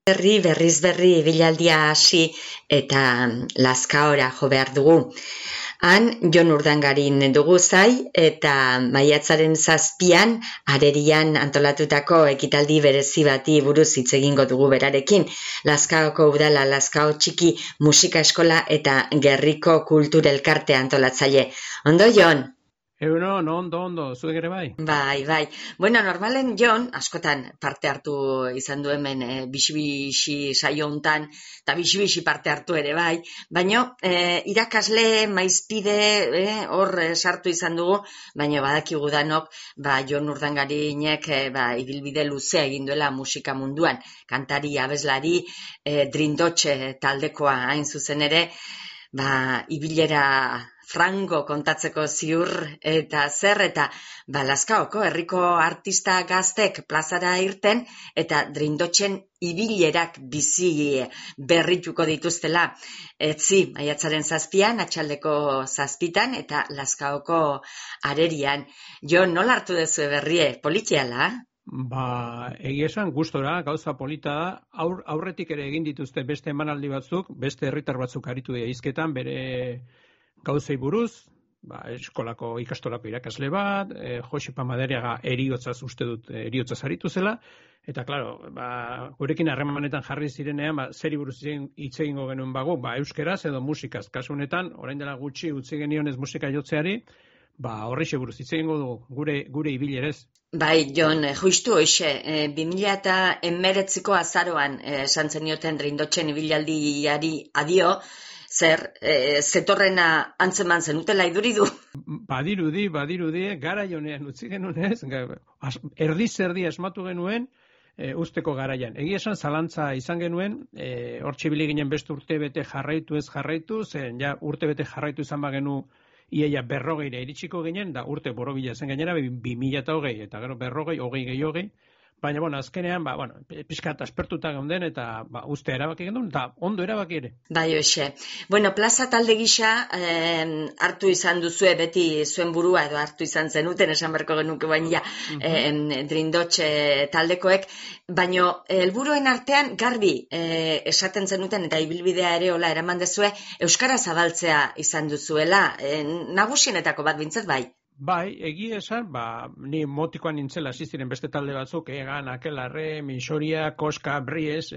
Berriz berri ibilaldia hasi eta Lazkaora jo behar dugu. Han Jon Urdangarin dugu zai eta maiatzaren 7an Arerian antolatutako ekitaldi berezi bati buruz hitz egingo dugu berarekin. Lazkaoko udala, Lazkao txiki musika eskola eta Gerriko kultur elkartea antolatzaile. Ondo, Jon? Ondo, zuek ere bai? Bai. Bueno, normalen Jon, askotan parte hartu izan du hemen bixi-bixi saio hontan, eta bixi-bixi parte hartu ere bai, baina irakasle, maizpide, hor sartu izan dugu, baina badakigu danok, Jon Urdangarinek ibilbide luzea egin duela musika munduan, kantari, abeslari, Drindotxe taldekoa hain zuzen ere, ibilera frango kontatzeko ziur eta Lazkaoko herriko artista gaztek plazara irten eta Drindotxen ibilerak bizi berrituko dituztela. Maiatzaren 7an, atxaldeko 7 eta Lazkaoko Arerian. Jon, nola hartu duzu berrie? Politiala? Egia esan gustora, gauza polita da, aurretik ere egin dituzte beste emanaldi batzuk, beste herritar batzuk aritu dira hizketan, bere gauzei buruz, eskolako ikastolako irakasle bat, Josipa Madariaga eriotzaz aritu zela, eta, klaro, gurekin harremanetan jarri zirenean, zeri buruz hitz egingo genuen euskeraz edo musikaz. Kasu honetan, orain dela gutxi utzi genionez musika jotzeari, horreixe buruz hitz egingo dugu, gure ibilerez. Bai, Jon, justu hoxe, 2019ko azaroan esan zenioten Drindotxen ibilaldiari adio, zetorrena antzeman zenutela iduridu? Badirudi, gara jonean utzi genuen ez, erdi asmatu genuen usteko garaian. Egia esan zalantza izan genuen, hor txibili ginen beste urte bete jarraitu ez jarraitu, zen ja urte bete jarraitu izan bagenu iaia 40 iritsiko ginen, da urte borobila zen gainera, 2020 eta gero 40, 20, baina, azkenean, pixkat aspertuta geunden, eta uste erabaki gendun, eta ondo erabaki ere. Bai, hoxe. Bueno, plaza talde gisa hartu izan duzue beti zuen burua, edo hartu izan zenuten, esan berko genuke baina Drindotxe taldekoek, baina helburuen artean garbi esaten zenuten, eta ibilbidea ere hola eraman dezue, euskara zabaltzea izan duzuela, nagusienetako bat bintzat bai? Bai, egia esan, ni motikoan nintzela hasi ziren beste talde batzuk, Egan, Akelarre, Minsoria, Koska, Bries,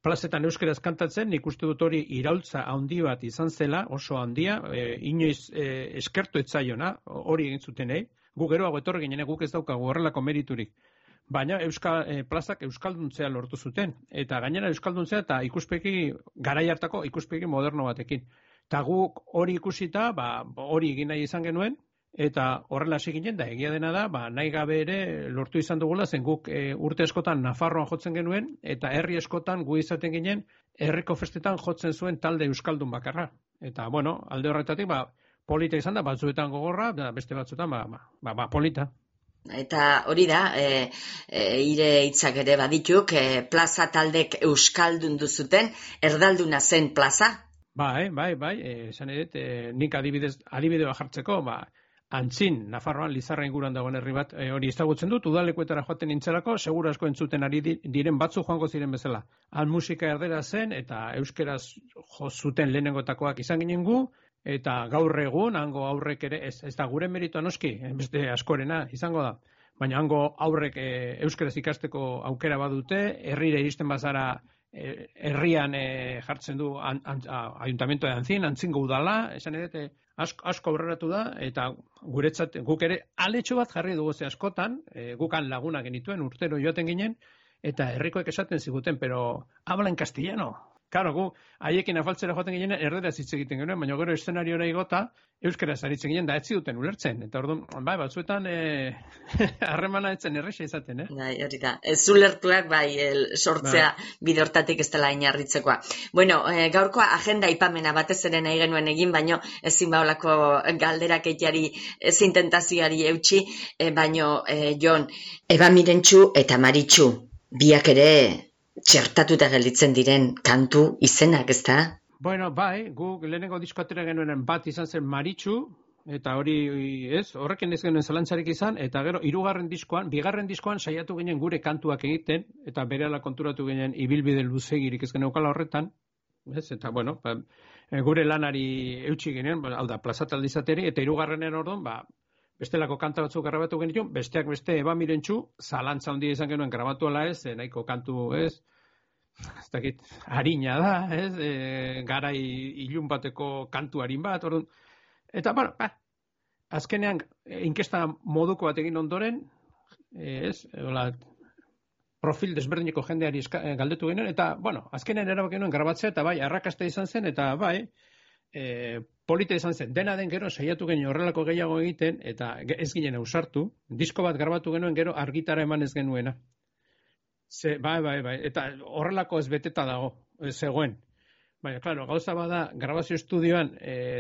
plazetan euskeraz kantatzen, nik uste dut hori iraultza handi bat izan zela, oso handia, inoiz eskertu etzaiona, hori egin zuten, gu geroago etorri ginen, guk ez daukagu horrelako meriturik. Baina plazak euskalduntzea lortu zuten, eta gainera euskalduntzea eta garai hartako ikuspegi moderno batekin. Eta guk hori ikusita, hori egin nahi izan genuen, eta horrela hasi ginen, da egia dena da, nahi gabe ere lortu izan dugula, zen guk urte eskotan Nafarroan jotzen genuen, eta herri eskotan gu izaten ginen, herriko festetan jotzen zuen talde euskaldun bakarra. Eta, alde horretatik, polita izan da, batzuetan gogorra, beste batzuetan, polita. Eta hori da, ire hitzak ere badituk, plaza taldek euskaldun duzuten, erdalduna zen plaza? Bai, esan edet, nik adibidea jartzeko, Antzin, Nafarroan, Lizarra inguruan dagoen herri bat, hori ezagutzen dut, udalekuetara joaten nintzelako, segura asko entzuten ari diren batzu joango ziren bezala. Han musika erdera zen, eta euskeraz jo zuten lehenengotakoak izan ginen gu, eta gaur egun, hango aurrek ere, ez da gure meritoa noski, beste askorena izango da. Baina hango aurrek euskeraz ikasteko aukera badute, herrira iristen bazara herrian jartzen du ayuntamiento de Antzingo udala, esan edete, asko aurreratu da, eta guretzat guk ere aletxo bat jarri dugu ze askotan, gukan laguna genituen urtero joaten ginen, eta herrikoek esaten ziguten, pero habla en castellano. Claro, gu haiekin afaltzera joaten ginen erderaz hitz egiten genuen, baina gero eszenariora igota euskaraz aritzen ginen da ez ziduten ulertzen. Eta orduan, batzuetan harremana etzen erresa izaten, Bai, hori da. Ez ulertuak sortzea bide hortatik ez dela inarritzekoa. Bueno, gaurkoa agenda ipamena batez ere nahi genuen egin, baino ezin baolako galderak etiari, ezin tentazioari eutxi, baino, Jon, Eba Mirentxu eta Maritxu, biak ere txertatuta gelditzen diren kantu izenak, ez da? Bueno, gu lehenengo disko atera genuen bat izan zen Maritxu, eta hori, ez, horrekin ez genuen zalantzarik izan, eta gero, bigarren diskoan saiatu ginen gure kantuak egiten, eta berehala konturatu ginen ibilbide luzegirik ez geneukala horretan, ez, eta bueno, gure lanari eutxi ginen, hau da, plazataldi izateri, eta hirugarrenen orduan, bestelako kanta batzuk grabatu genituen, besteak beste Eba Mirentxu, zalantza handia izan genuen grabatu ala ez, nahiko kantu ez dakit, harina da, ez, garai ilun bateko kantu harin bat, orduan, eta, bueno, azkenean, inkesta moduko bat egin ondoren, ez, profil desberdineko jendeari galdetu genuen, eta, bueno, azkenean erabaki genuen grabatzea, eta bai, arrakasta izan zen, eta bai, polita izan zen, dena den gero saiatu genuen horrelako gehiago egiten, eta ez ginen ausartu, disko bat grabatu genuen gero argitara eman ez genuena. Bai, eta horrelako ez beteta dago, zegoen. Baina, klaro, gauza bada, grabazio estudioan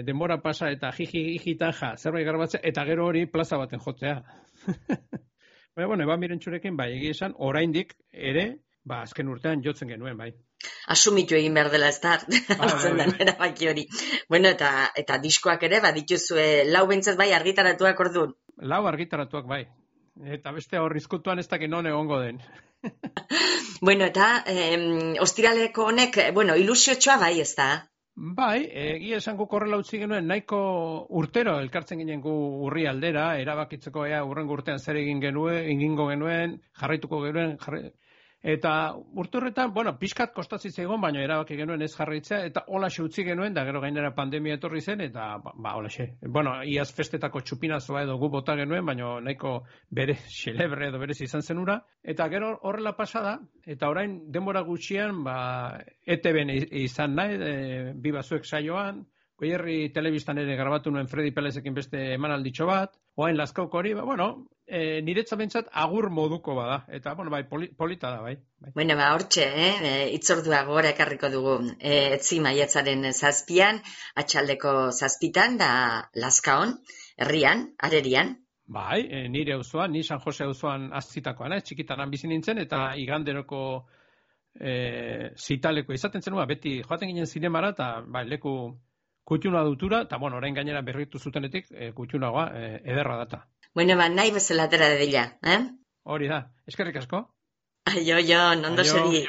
denbora pasa eta jiji-jitaja zerbait grabatzea, eta gero hori plaza baten jotzea. Baina, bueno, Eba Mirentxurekin, bai, egia esan, oraindik ere, azken urtean jotzen genuen, bai. Asumitu egin behar dela, ez da, hartzen den erabaki hori. Bueno, eta diskoak ere, dituzue lau bentzat bai argitaratuak orduan. Lau argitaratuak, bai. Eta beste horrizkutuan ez dakit non egongo den. Bueno, eta ostiraleko honek, ilusiotxoa bai, ez da? Bai, egia esan guk horrela utzi genuen, nahiko urtero elkartzen ginen gu urri aldera, erabakitzeko urrengo urtean zer egingo genuen, jarraituko genuen, eta urte horretan, pixkat kostatzi zegoen, baina erabaki genuen ez jarraitzea, eta holaxe utzi genuen, da gero gainera pandemia etorri zen, eta holaxe. Iaz festetako txupinazoa edo gu bota genuen, baina nahiko bere xelebre edo berez izan zenura, eta gero horrela pasada, eta orain denbora gutxian, ETB-en izan nahi, bi bazuek saioan, Goierri telebistan ere grabatu nuen Fredi Pelezekin beste emanalditxo bat, oain Lazkauk hori, niretzat bentsat agur moduko bada, eta, bai, polita da, bai. Bueno, hortxe, itzordua gora ekarriko dugu, etzi maiatzaren 7an, atxaldeko 7an, da Lazkaon, herrian, arerian. Bai, nire auzoan, ni San Jose auzoan azitakoan, txikitaran bizi nintzen, eta iganderoko zitaleko izaten zenua, beti joaten ginen zinemara, eta leku kutxuna dutura, eta orain gainera berritu zutenetik, kutxunagoa ederra data. Bueno, nahi bezala atera dedila, Hori da, eskerrik asko. Aio, ondo segi.